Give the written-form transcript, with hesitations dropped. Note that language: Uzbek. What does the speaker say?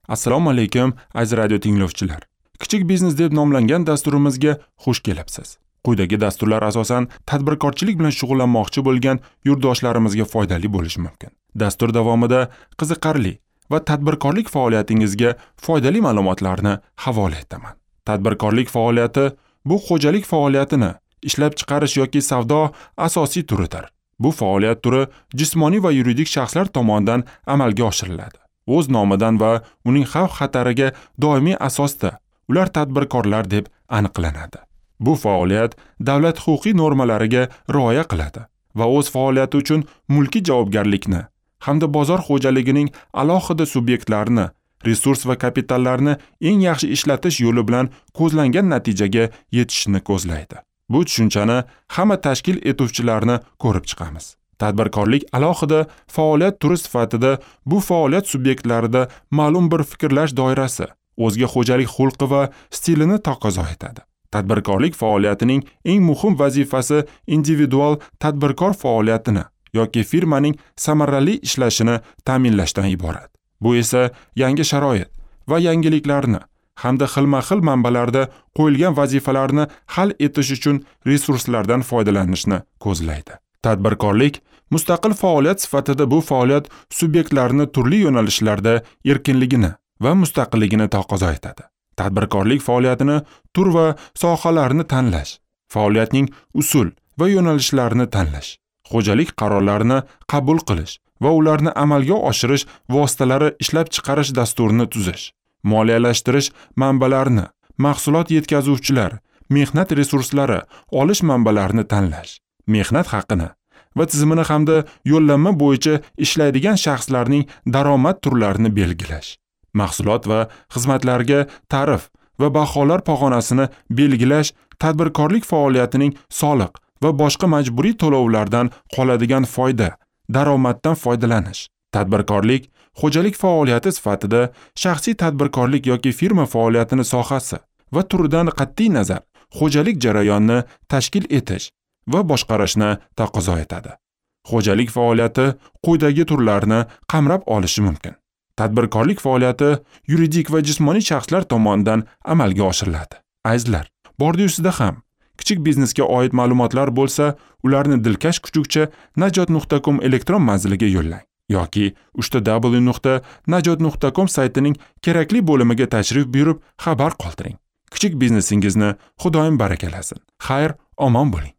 Assalomu alaykum, aziz radio tinglovchilar. Kichik biznes deb nomlangan dasturimizga xush kelibsiz. Quyidagi dasturlar asosan tadbirkorchilik bilan shug'ullanmoqchi bo'lgan yurtdoshlarimizga foydali bo'lishi mumkin. Dastur davomida qiziqarli va tadbirkorlik faoliyatingizga foydali ma'lumotlarni havola etaman. Tadbirkorlik faoliyati bu xo'jalik faoliyatini ishlab chiqarish yoki savdo asosiy turidir. Bu faoliyat turi jismoniy va yuridik shaxslar tomonidan amalga oshiriladi. O'z nomidan va uning xavf-xatariga doimiy asosda ular tadbirkorlar deb aniqlanadi. Bu faoliyat davlat huquqiy normalariga rioya qiladi va o'z faoliyati uchun mulkiy javobgarlikni hamda bozor xo'jaligining alohida subyektlarini, resurs va kapitallarni eng yaxshi ishlatish yo'li bilan ko'zlangan natijaga yetishni ko'zlaydi. Bu tushunchani hamma tashkil etuvchilarni ko'rib chiqamiz. Tadbirkorlik alohida faoliyat turi sifatida bu faoliyat subyektlarida ma'lum bir fikrlash doirasi, o'zga xo'jalik xulqi va stilini taqozo etadi. Tadbirkorlik faoliyatining eng muhim vazifasi individual tadbirkor faoliyatini yoki firmaning samarali ishlashini ta'minlashdan iborat. Bu esa yangi sharoit va yangiliklarni hamda xilma-xil manbalarda qo'yilgan vazifalarni hal etish uchun resurslardan foydalanishni ko'zlaydi. Tadbirkorlik mustaqil faoliyat sifatida bu faoliyat subyektlarini turli yo'nalishlarda erkinligini va mustaqilligini taqozo etadi. Tadbirkorlik faoliyatini tur va sohalarini tanlash, faoliyatning usul va yo'nalishlarini tanlash, xo'jalik qarorlarini qabul qilish va ularni amalga oshirish vositalari ishlab chiqarish dasturini tuzish, moliyalashtirish manbalarini, mahsulot yetkazuvchilar, mehnat resurslari olish manbalarini tanlash, mehnat haqini va tizimini hamda yo'llanma bo'yicha ishlaydigan shaxslarning daromad turlarini belgilash, mahsulot va xizmatlarga tarif va baholar pog'onasini belgilash, tadbirkorlik faoliyatining soliq va boshqa majburiy to'lovlardan qoladigan foyda, daromaddan foydalanish. Tadbirkorlik xo'jalik faoliyati sifatida shaxsiy tadbirkorlik yoki firma faoliyatini sohasi va turidan qat'iy nazar xo'jalik jarayonini tashkil etish va boshqarishni taqozo etadi. Xo'jalik faoliyati quyidagi turlarni qamrab olishi mumkin. Tadbirkorlik faoliyati yuridik va jismoniy shaxslar tomonidan amalga oshiriladi. Azizlar, bordi-yusida ham kichik biznesga oid ma'lumotlar bo'lsa, ularni dilkash kuchukcha najot.com elektron manziliga yo'llang yoki www.najot.com saytining kerakli bo'limiga tashrif buyurib xabar qoldiring. Kichik biznesingizni Xudoyim barakalasin. Xayr, omon bo'ling.